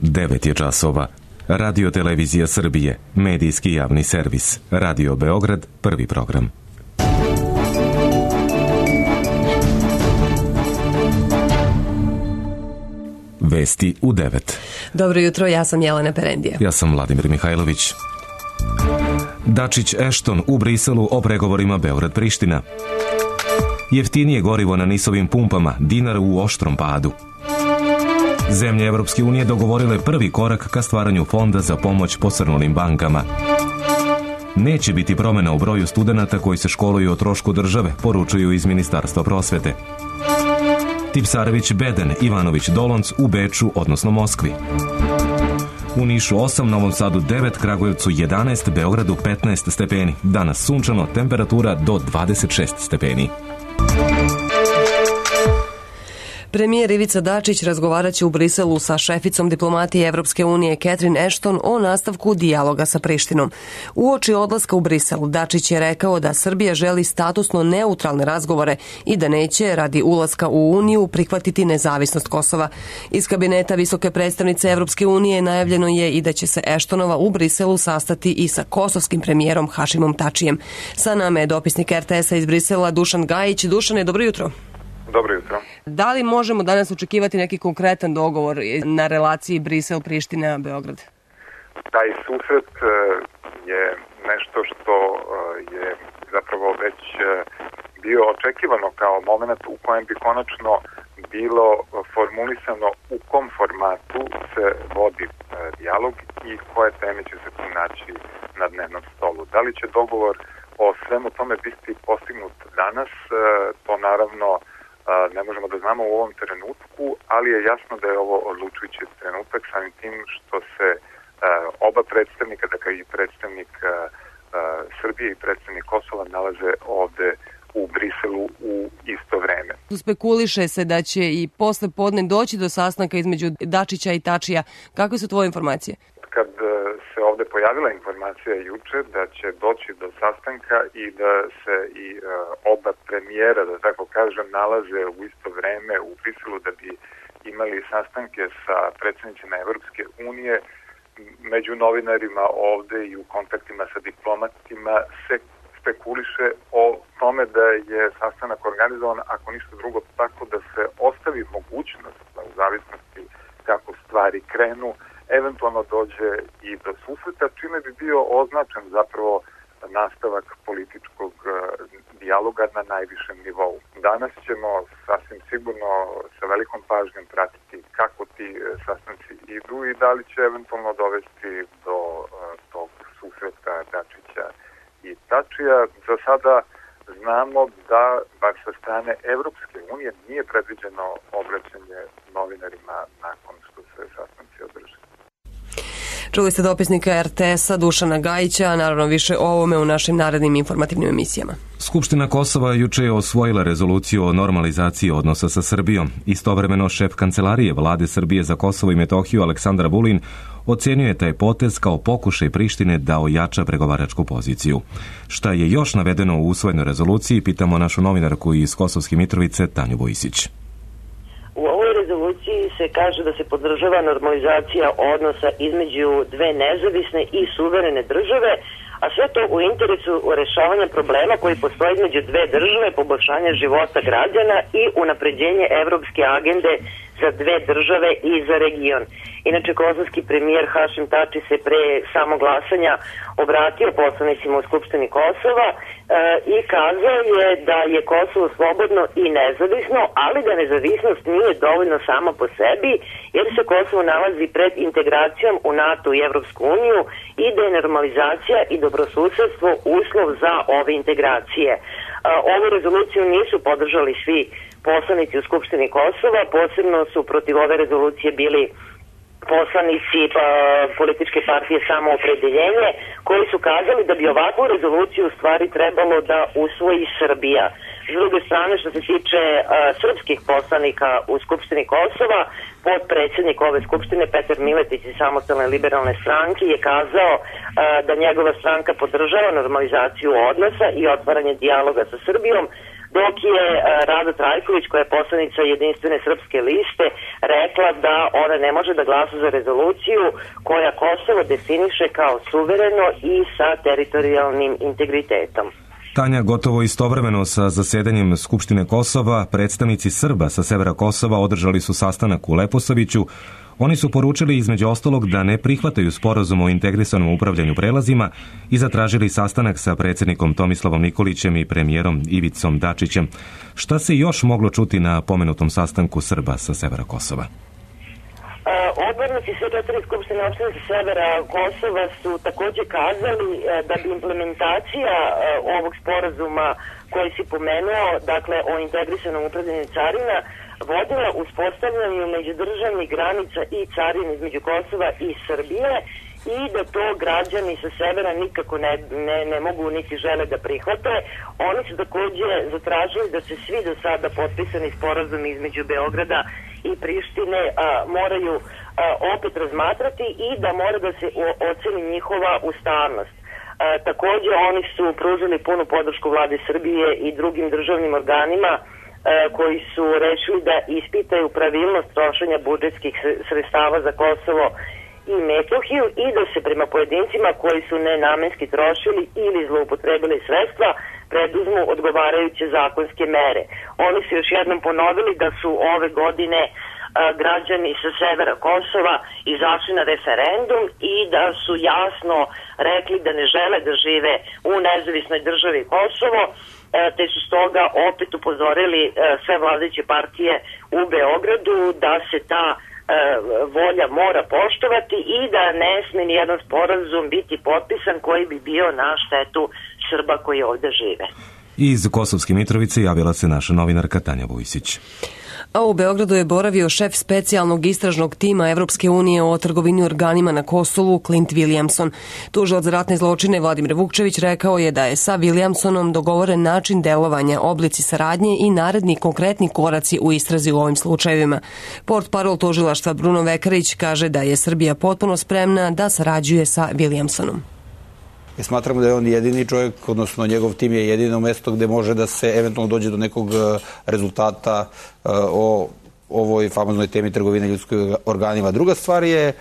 9 je časova. Radio Televizija Srbije, medijski javni servis. Radio Beograd, prvi program. Vesti u 9. Dobro jutro, ja sam Jelena Perendija. Ja sam Vladimir Mihajlović. Dačić-Ešton u Briselu o pregovorima Beograd-Priština. Jeftinije gorivo na NIS-ovim pumpama, dinar u oštrom padu. Zemlje Evropske unije dogovorile prvi korak ka stvaranju fonda za pomoć posrnulim bankama. Neće biti promjena u broju studenata koji se školuju o trošku države, poručuju iz Ministarstva prosvete. Tipsarević Beden, Ivanović Dolonc u Beču, odnosno Moskvi. U Nišu 8, Novom Sadu 9, Kragujevcu 11, Beogradu 15 stepeni. Danas sunčano, temperatura do 26 stepeni. Premijer Ivica Dačić razgovarat će u Briselu sa šeficom diplomatije Evropske unije Catherine Ashton o nastavku dijaloga sa Prištinom. Uoči odlaska u Brisel, Dačić je rekao da Srbija želi statusno neutralne razgovore i da neće, radi ulaska u Uniju, prihvatiti nezavisnost Kosova. Iz kabineta visoke predstavnice Evropske unije najavljeno je i da će se Ashtonova u Briselu sastati i sa kosovskim premijerom Hašimom Tačijem. Sa nama je dopisnik RTS-a iz Brisela Dušan Gajić. Dušane, dobro jutro. Dobro jutro. Da li možemo danas očekivati neki konkretan dogovor na relaciji Brisel-Priština-Beograd? Taj susret je nešto što je zapravo već bio očekivano kao moment u kojem bi konačno bilo formulisano u kom formatu se vodi dijalog i koje teme će se tu naći na dnevnom stolu. Da li će dogovor o svemu tome biti postignut danas, to naravno ne možemo da znamo u ovom trenutku, ali je jasno da je ovo odlučujući trenutak samim tim što se oba predstavnika, dakle i predstavnik Srbije i predstavnik Kosova nalaze ovde u Briselu u isto vreme. Spekuliše se da će i posle podne doći do sastanka između Dačića i Tačija. Kakve su tvoje informacije? Kad se ovde pojavila informacija juče da će doći do sastanka i da se i oba premijera, da tako kažem, nalaze u isto vreme u Briselu da bi imali sastanke sa predsjednicima Evropske unije, među novinarima ovde i u kontaktima sa diplomatima se spekuliše o tome da je sastanak organizovan, ako ništa drugo, tako da se ostavi mogućnost, u zavisnosti kako stvari krenu, eventualno dođe i do susreta, čime bi bio označen zapravo nastavak političkog dijaloga na najvišem nivou. Danas ćemo sasvim sigurno sa velikom pažnjom pratiti kako ti sastanci idu i da li će eventualno dovesti do tog susreta Dačića i Tačija. Za sada znamo da, bar sa strane Evropske unije, nije predviđeno obraćanje novinarima nakon što se sastanci održe. Čuli ste dopisnika RTS-a Dušana Gajića, a naravno više o ovome u našim narednim informativnim emisijama. Skupština Kosova juče je osvojila rezoluciju o normalizaciji odnosa sa Srbijom. Istovremeno šef kancelarije Vlade Srbije za Kosovo i Metohiju Aleksandar Vulin ocenjuje taj potez kao pokušaj Prištine da ojača pregovaračku poziciju. Šta je još navedeno u usvojenoj rezoluciji, pitamo našu novinarku iz Kosovske Mitrovice Tanju Vojsić. U ovoj rezoluciji se kaže da se podržava normalizacija odnosa između dve nezavisne i suverene države, a sve to u interesu rešavanja problema koji postoje između dve države, poboljšanja života građana i unapređenje evropske agende za dve države i za region. Inače, kosovski premijer Hašim Tači se pre samog glasanja obratio poslanicima u Skupštini Kosova i kazao je da je Kosovo slobodno i nezavisno, ali da nezavisnost nije dovoljno sama po sebi, jer se Kosovo nalazi pred integracijom u NATO i Evropsku uniju i da je normalizacija i dobrosusedstvo uslov za ove integracije. Ovu rezoluciju nisu podržali svi poslanici u Skupštini Kosova, posebno su protiv ove rezolucije bili poslanici političke partije Samoopredeljenje, koji su kazali da bi ovakvu rezoluciju u stvari trebalo da usvoji Srbija. S druge strane, što se tiče srpskih poslanika u Skupštini Kosova, potpredsjednik ove Skupštine Petar Miletić iz Samostalne liberalne stranke je kazao da njegova stranka podržava normalizaciju odnosa i otvaranje dijaloga sa Srbijom, dok je Rada Trajković, koja je poslanica Jedinstvene srpske liste, rekla da ona ne može da glasa za rezoluciju koja Kosovo definiše kao suvereno i sa teritorijalnim integritetom. Tanja, gotovo istovremeno sa zasedanjem Skupštine Kosova, predstavnici Srba sa severa Kosova održali su sastanak u Leposaviću. Oni su poručili između ostalog da ne prihvataju sporazum o integrisanom upravljanju prelazima i zatražili sastanak sa predsjednikom Tomislavom Nikolićem i premijerom Ivicom Dačićem. Šta se još moglo čuti na pomenutom sastanku Srba sa severa Kosova? Odbornici sve 4 skupštine opštine sa severa Kosova su takođe kazali da bi implementacija ovog sporazuma koji si pomenuo, dakle o integrisanom upravljanju carina, vodila uspostavljanju međudržavnih granica i carina između Kosova i Srbije i da to građani sa severa nikako ne mogu niti žele da prihvate. Oni su takođe zatražili da se svi do sada potpisani sporazumi između Beograda i Prištine moraju opet razmatrati i da mora da se oceni njihova ustavnost. Takođe oni su pružili punu podršku vlade Srbije i drugim državnim organima koji su rešili da ispitaju pravilnost trošenja budžetskih sredstava za Kosovo i Metohiju i da se prema pojedincima koji su nenamenski trošili ili zloupotrebili sredstva preduzmu odgovarajuće zakonske mere. Oni su još jednom ponovili da su ove godine građani sa severa Kosova izašli na referendum i da su jasno rekli da ne žele da žive u nezavisnoj državi Kosovo, te su stoga opet upozorili sve vladajuće partije u Beogradu da se ta volja mora poštovati i da ne sme ni jedan sporazum biti potpisan koji bi bio na štetu Srba koji ovde žive. Iz Kosovske Mitrovice javila se naša novinarka Tanja Vujsić. A u Beogradu je boravio šef specijalnog istražnog tima Evropske unije o trgovini organima na Kosovu, Clint Williamson. Tužilac za ratne zločine Vladimir Vukčević rekao je da je sa Williamsonom dogovoren način delovanja, oblici saradnje i naredni konkretni koraci u istrazi u ovim slučajevima. Portparol tužilaštva Bruno Vekarić kaže da je Srbija potpuno spremna da sarađuje sa Williamsonom. Smatramo da je on jedini čovjek, odnosno njegov tim je jedino mesto gde može da se eventualno dođe do nekog rezultata o ovoj famoznoj temi trgovine ljudskim organima. Druga stvar je,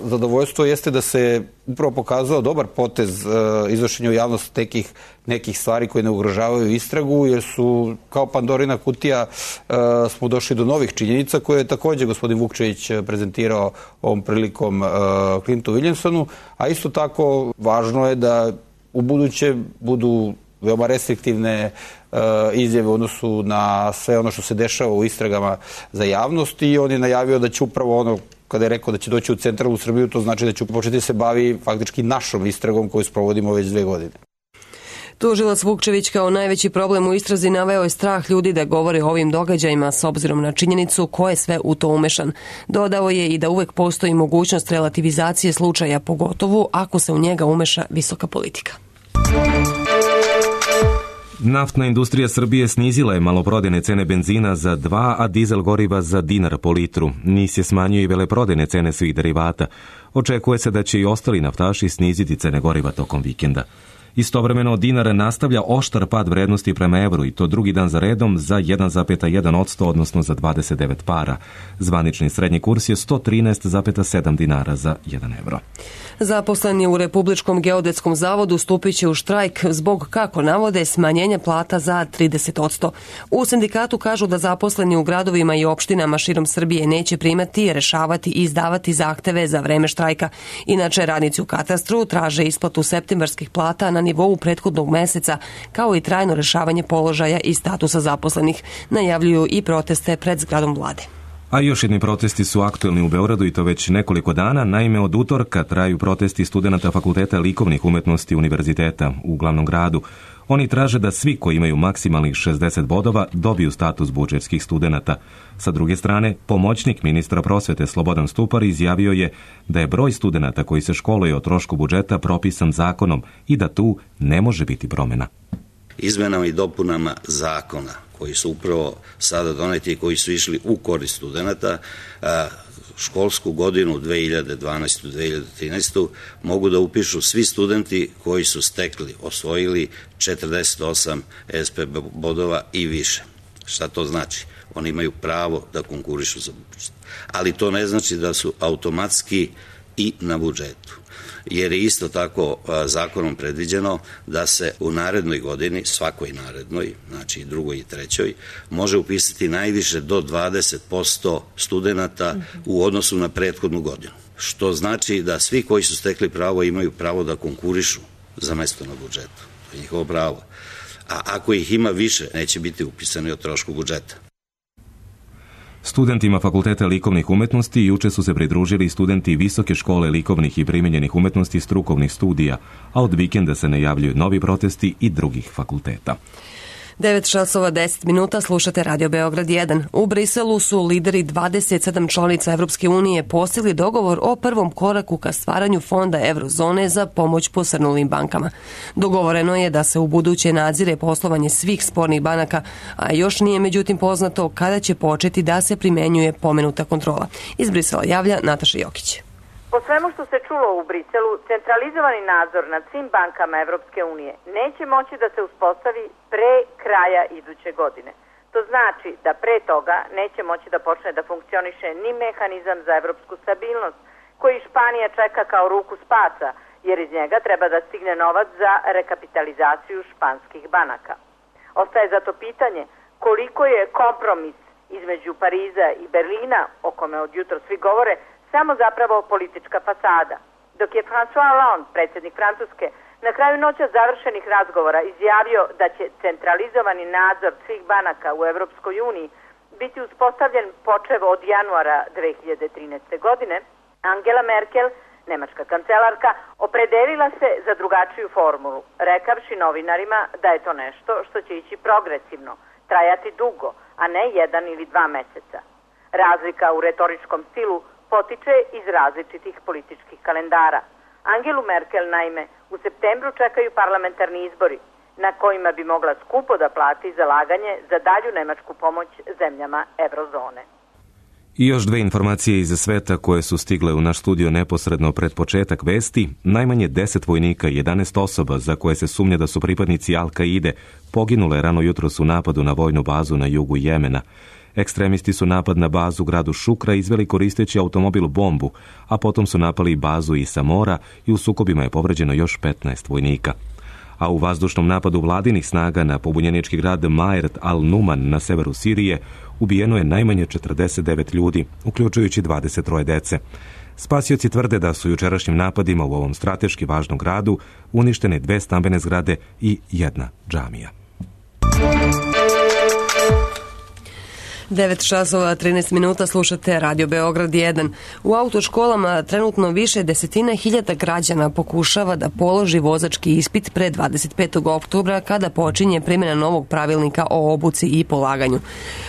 zadovoljstvo jeste da se upravo pokazao dobar potez izvršenja u javnost nekih stvari koje ne ugrožavaju istragu, jer su kao Pandorina kutija smo došli do novih činjenica koje je također gospodin Vukčević prezentirao ovom prilikom Clintu Williamsonu, a isto tako važno je da u buduće budu veoma restriktivne izjave u odnosu na sve ono što se dešava u istragama za javnost i on je najavio da će upravo ono, kada je rekao da će doći u centralnu Srbiju, to znači da će početi se bavi faktički našom istragom koju sprovodimo već 2 godine. Tužilac Vukčević kao najveći problem u istrazi naveo je strah ljudi da govore o ovim događajima s obzirom na činjenicu ko je sve u to umešan. Dodao je i da uvek postoji mogućnost relativizacije slučaja, pogotovo ako se u njega umeša visoka politika. Naftna industrija Srbije snizila je maloprodajne cene benzina za 2, a dizel goriva za dinar po litru. NIS je smanjio i veleprodajne cene svih derivata. Očekuje se da će i ostali naftaši sniziti cene goriva tokom vikenda. Istovremeno dinar nastavlja oštar pad vrednosti prema evru i to drugi dan za redom za 1,1%, odnosno za 29 para. Zvanični srednji kurs je 113,7 dinara za 1 evro. Zaposleni u Republičkom geodetskom zavodu stupit će u štrajk zbog, kako navode, smanjenja plata za 30%. U sindikatu kažu da zaposleni u gradovima i opštinama širom Srbije neće primati, rešavati i izdavati zahteve za vreme štrajka. Inače, radnici u katastru traže isplatu septembarskih plata na nivou prethodnog meseca, kao i trajno rešavanje položaja i statusa zaposlenih. Najavljuju i proteste pred zgradom vlade. A još jedni protesti su aktuelni u Beogradu i to već nekoliko dana. Naime, od utorka traju protesti studenata Fakulteta likovnih umetnosti univerziteta u glavnom gradu. Oni traže da svi koji imaju maksimalnih 60 bodova dobiju status budžetskih studenata. Sa druge strane, pomoćnik ministra prosvete Slobodan Stupar izjavio je da je broj studenata koji se školuje o trošku budžeta propisan zakonom i da tu ne može biti promjena. Izmenama i dopunama zakona koji su upravo sada doneti i koji su išli u korist studenata, školsku godinu 2012-2013 mogu da upišu svi studenti koji su osvojili 48 SP bodova i više. Šta to znači? Oni imaju pravo da konkurišu za budžet. Ali to ne znači da su automatski i na budžetu. Jer je isto tako zakonom predviđeno da se u narednoj godini, svakoj narednoj, znači i drugoj i trećoj, može upisati najviše do 20% studenta u odnosu na prethodnu godinu. Što znači da svi koji su stekli pravo imaju pravo da konkurišu za mesto na budžetu. To je njihovo pravo. A ako ih ima više, neće biti upisani o trošku budžeta. Studentima Fakulteta likovnih umetnosti juče su se pridružili studenti Visoke škole likovnih i primenjenih umetnosti strukovnih studija, a od vikenda se najavljuju novi protesti i drugih fakulteta. 9:10 slušate Radio Beograd 1. U Briselu su lideri 27 članica Evropske unije postigli dogovor o prvom koraku ka stvaranju fonda Eurozone za pomoć posrnulim bankama. Dogovoreno je da se u buduće nadzire poslovanje svih spornih banaka, a još nije međutim poznato kada će početi da se primenjuje pomenuta kontrola. Iz Brisela javlja Nataša Jokić. Po svemu što se čulo u Briselu, centralizovani nadzor nad svim bankama Evropske unije neće moći da se uspostavi pre kraja iduće godine. To znači da pre toga neće moći da počne da funkcioniše ni mehanizam za evropsku stabilnost, koji Španija čeka kao ruku spasa, jer iz njega treba da stigne novac za rekapitalizaciju španskih banaka. Ostaje zato pitanje koliko je kompromis između Pariza i Berlina, o kome od jutro svi govore, samo zapravo politička fasada. Dok je François Hollande, predsjednik Francuske, na kraju noća završenih razgovora izjavio da će centralizovani nadzor svih banaka u Evropskoj uniji biti uspostavljen počev od januara 2013. godine, Angela Merkel, nemačka kancelarka, opredelila se za drugačiju formulu, rekavši novinarima da je to nešto što će ići progresivno, trajati dugo, a ne 1 ili 2 meseca. Razlika u retoričkom stilu potiče iz različitih političkih kalendara. Angelu Merkel, naime, u septembru čekaju parlamentarni izbori, na kojima bi mogla skupo da plati zalaganje za dalju nemačku pomoć zemljama Eurozone. I još dve informacije iz sveta koje su stigle u naš studio neposredno pred početak vesti. Najmanje 10 vojnika i 11 osoba za koje se sumnja da su pripadnici Al-Kaide poginule rano jutros u napadu na vojnu bazu na jugu Jemena. Ekstremisti su napad na bazu u gradu Šukra izveli koristeći automobil bombu, a potom su napali bazu i Samora i u sukobima je povređeno još 15 vojnika. A u vazdušnom napadu vladinih snaga na pobunjenički grad Ma'aret al-Numan na severu Sirije ubijeno je najmanje 49 ljudi, uključujući 23 dece. Spasioci tvrde da su jučerašnjim napadima u ovom strateški važnom gradu uništene 2 stambene zgrade i 1 džamija. 9:13 slušate Radio Beograd 1. U autoškolama trenutno više desetina hiljada građana pokušava da položi vozački ispit pre 25. oktobra kada počinje primjena novog pravilnika o obuci i polaganju.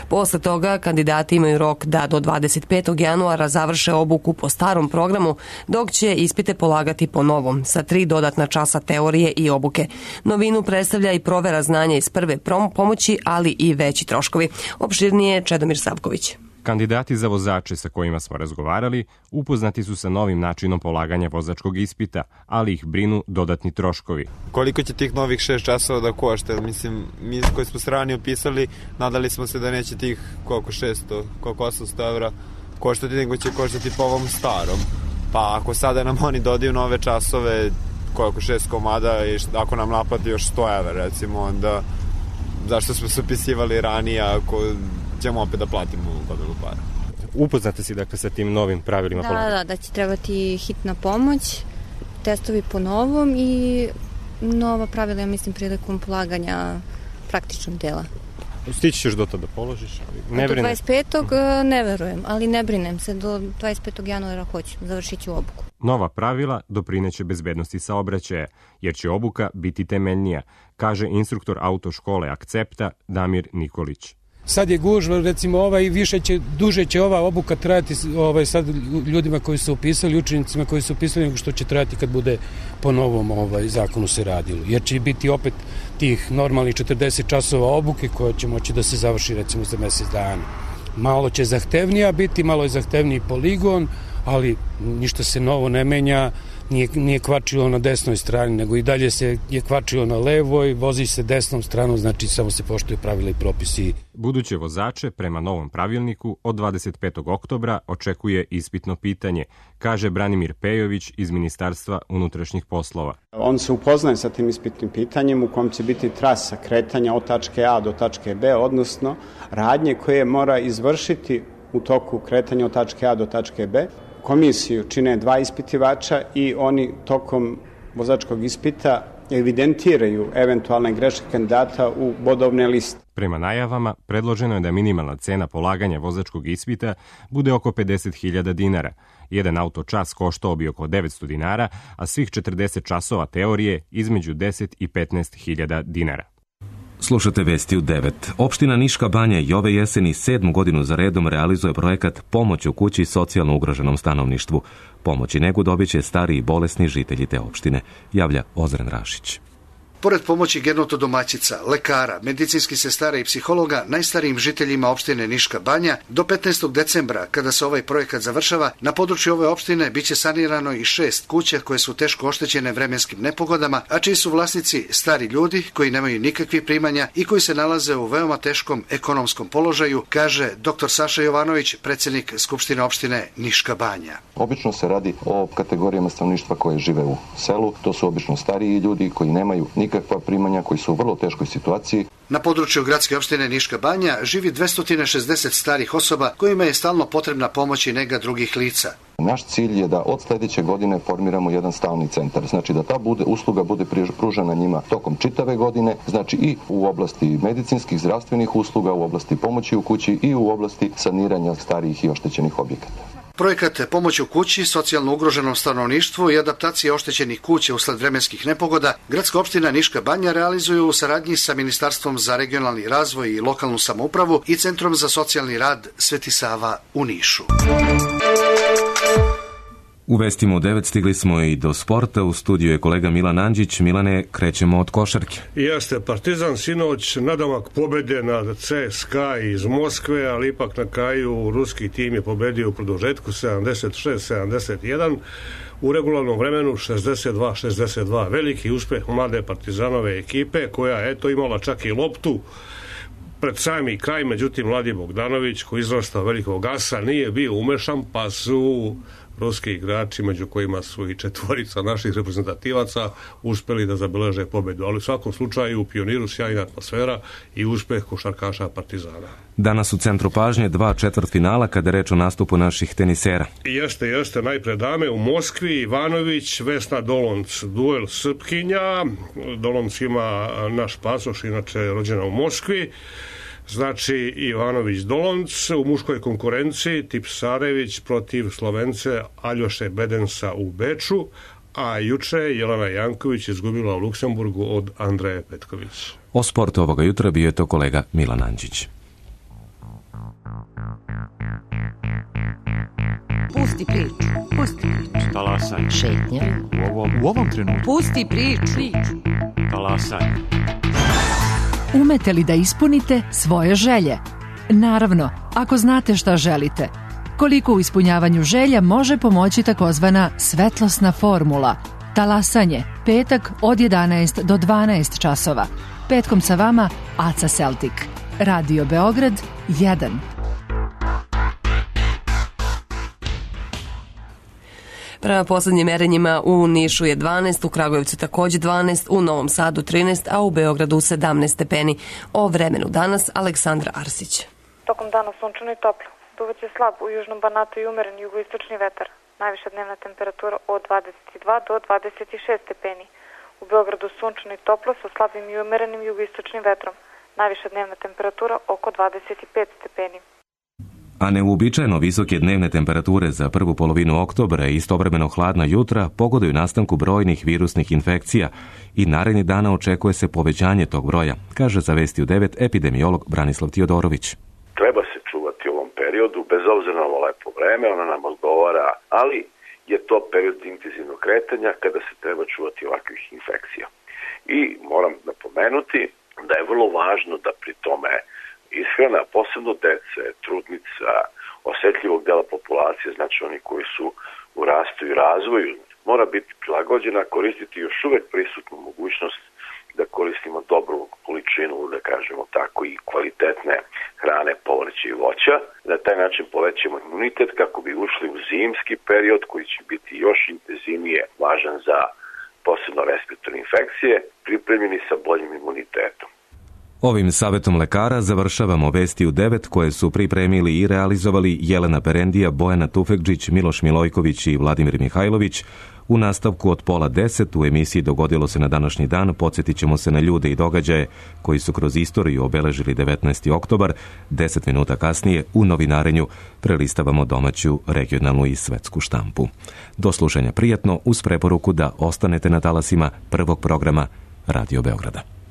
Posle toga kandidati imaju rok da do 25. januara završe obuku po starom programu, dok će ispite polagati po novom, sa 3 dodatna časa teorije i obuke. Novinu predstavlja i provera znanja iz prve pomoći, ali i veći troškovi. Opširnije Čedomir Savković. Kandidati za vozače sa kojima smo razgovarali upoznati su sa novim načinom polaganja vozačkog ispita, ali ih brinu dodatni troškovi. Koliko će tih novih 6 časova da košta? Mislim, mi koji smo se ranije upisali, nadali smo se da neće tih koliko 600, koliko 800 evra koštati, nego će koštati po ovom starom. Pa ako sada nam oni dodaju nove časove, koliko 6 komada i ako nam naplati još 100 evra recimo, onda zašto smo se upisivali ranije ako ćemo opet da platimo gomilu para. Upoznate si dakle sa tim novim pravilima polaganja? Da će trebati hitna pomoć, testovi po novom i nova pravila, ja mislim, prilikom polaganja praktičnog dela. Stići ćeš do tada položiš? Ne do 25. Ne verujem, ali ne brinem se, do 25. januara hoću, završit ću obuku. Nova pravila doprineće bezbednosti saobraćaja, jer će obuka biti temeljnija, kaže instruktor autoškole Akcepta Damir Nikolić. Sad je gužva, recimo duže će ova obuka trajati sad ljudima koji su upisali, učenicima koji su upisali, nego što će trajati kad bude po novom zakonu se radilo. Jer će biti opet tih normalnih 40 časova obuke koja će moći da se završi recimo za mesec dana. Malo će zahtevnija biti, malo je zahtevniji poligon, ali ništa se novo ne menja, nije kvačilo na desnoj strani, nego i dalje se je kvačilo na levoj, vozi se desnom stranom, znači samo se poštuje pravila i propisi. Buduće vozače, prema novom pravilniku, od 25. oktobra očekuje ispitno pitanje, kaže Branimir Pejović iz Ministarstva unutrašnjih poslova. On se upoznaje sa tim ispitnim pitanjem u kom će biti trasa kretanja od tačke A do tačke B, odnosno radnje koje mora izvršiti u toku kretanja od tačke A do tačke B. Komisiju čine 2 ispitivača i oni tokom vozačkog ispita evidentiraju eventualne greške kandidata u bodovne liste. Prema najavama, predloženo je da minimalna cena polaganja vozačkog ispita bude oko 50.000 dinara. Jedan auto čas koštao bi oko 900 dinara, a svih 40 časova teorije između 10 i 15.000 dinara. Slušate vesti u 9. Opština Niška Banja i ove jeseni 7. godinu za redom realizuje projekat Pomoć u kući socijalno ugroženom stanovništvu. Pomoć i negu dobit će stari i bolesni žitelji te opštine, javlja Ozren Rašić. Pored pomoći gerontodomaćica, lekara, medicinskih sestara i psihologa, najstarijim žiteljima opštine Niška Banja, do 15. decembra, kada se ovaj projekat završava, na području ove opštine biće sanirano i 6 kuća koje su teško oštećene vremenskim nepogodama, a čiji su vlasnici stari ljudi koji nemaju nikakvih primanja i koji se nalaze u veoma teškom ekonomskom položaju, kaže dr. Saša Jovanović, predsjednik Skupštine opštine Niška Banja. Obično se radi o kategorijama stanovništva koje žive u selu, to su obično stariji ljudi koji nemaju nikakva primanja, koji su u vrlo teškoj situaciji. Na području gradske opštine Niška Banja živi 260 starih osoba kojima je stalno potrebna pomoć i nega drugih lica. Naš cilj je da od sledeće godine formiramo jedan stalni centar, znači da ta usluga bude pružena njima tokom čitave godine, znači i u oblasti medicinskih, zdravstvenih usluga, u oblasti pomoći u kući i u oblasti saniranja starijih i oštećenih objekata. Projekat Pomoć u kući socijalno ugroženom stanovništvu i adaptacije oštećenih kuća usled vremenskih nepogoda gradska opština Niška Banja realizuju u saradnji sa Ministarstvom za regionalni razvoj i lokalnu samoupravu i Centrom za socijalni rad Sveti Sava u Nišu. U vestima u 9 stigli smo i do sporta. U studiju je kolega Milan Andžić. Milane, krećemo od košarke. Jeste, Partizan sinoć nadomak pobede nad CSKA iz Moskve, ali ipak na kraju ruski tim je pobedio u produžetku 76-71. U regularnom vremenu 62-62. Veliki uspeh mlade Partizanove ekipe koja je imala čak i loptu pred sami kraj, međutim Mladi Bogdanović koji izrastao velikog asa nije bio umešan, pa su ruski igrači, među kojima su i 4 naših reprezentativaca, uspeli da zabeleže pobedu. Ali u svakom slučaju u Pioniru sjajna atmosfera i uspeh košarkaša Partizana. Danas u centru pažnje 2 četvrtfinala kada je reč o nastupu naših tenisera. Jeste, najpre dame u Moskvi, Ivanović, Vesna Dolonc, duel Srpkinja. Dolonc ima naš pasoš, inače rođena u Moskvi. Znači Ivanović Dolonc u muškoj konkurenciji, Tipsarević protiv Slovence Aljoše Bedensa u Beču, a juče Jelena Janković izgubila u Luksemburgu od Andreje Petković. O sportu ovoga jutra bio je to kolega Milan Andžić. Pusti priču. Talasaj. Šetnja. U ovom trenutku. Pusti priču. Talasaj. Umete li da ispunite svoje želje? Naravno, ako znate šta želite. Koliko u ispunjavanju želja može pomoći takozvana svetlosna formula. Talasanje, petak od 11 do 12 časova. Petkom sa vama Aca Celtic. Radio Beograd 1. Prema poslednjim merenjima u Nišu je 12, u Kragujevcu takođe 12, u Novom Sadu 13, a u Beogradu 17 stepeni. O vremenu danas Aleksandra Arsić. Tokom dana sunčano i toplo. Duvaće slab u južnom Banatu i umeren jugoistočni vetar. Najviša dnevna temperatura od 22 do 26 stepeni. U Beogradu sunčano i toplo sa slabim i umerenim jugoistočnim vetrom. Najviša dnevna temperatura oko 25 stepeni. A neuobičajeno visoke dnevne temperature za prvu polovinu oktobra i istovremeno hladna jutra pogoduju nastanku brojnih virusnih infekcija i narednih dana očekuje se povećanje tog broja, kaže za Vesti u 9 epidemiolog Branislav Tiodorović. Treba se čuvati u ovom periodu, bez obzira na ovo lepo vreme, ono nam odgovara, ali je to period intenzivnog kretanja kada se treba čuvati ovakvih infekcija. I moram napomenuti da je vrlo važno da pri tome ishrana, posebno dece, trudnica, osetljivog dela populacije, znači oni koji su u rastu i razvoju, mora biti prilagođena, koristiti još uvek prisutnu mogućnost da koristimo dobru količinu, da kažemo tako, i kvalitetne hrane, povrća i voća. Na taj način povećamo imunitet kako bi ušli u zimski period koji će biti još intenzivnije važan za posebno respiratorne infekcije, pripremljeni sa boljim imunitetom. Ovim savjetom lekara završavamo Vesti u 9 koje su pripremili i realizovali Jelena Perendija, Bojana Tufekđić, Miloš Milojković i Vladimir Mihajlović. U nastavku od 9:30 u emisiji Dogodilo se na današnji dan podsjetit ćemo se na ljude i događaje koji su kroz istoriju obeležili 19. oktobar. 10 minuta kasnije u novinarenju prelistavamo domaću, regionalnu i svetsku štampu. Do slušanja prijatno uz preporuku da ostanete na talasima prvog programa Radio Beograda.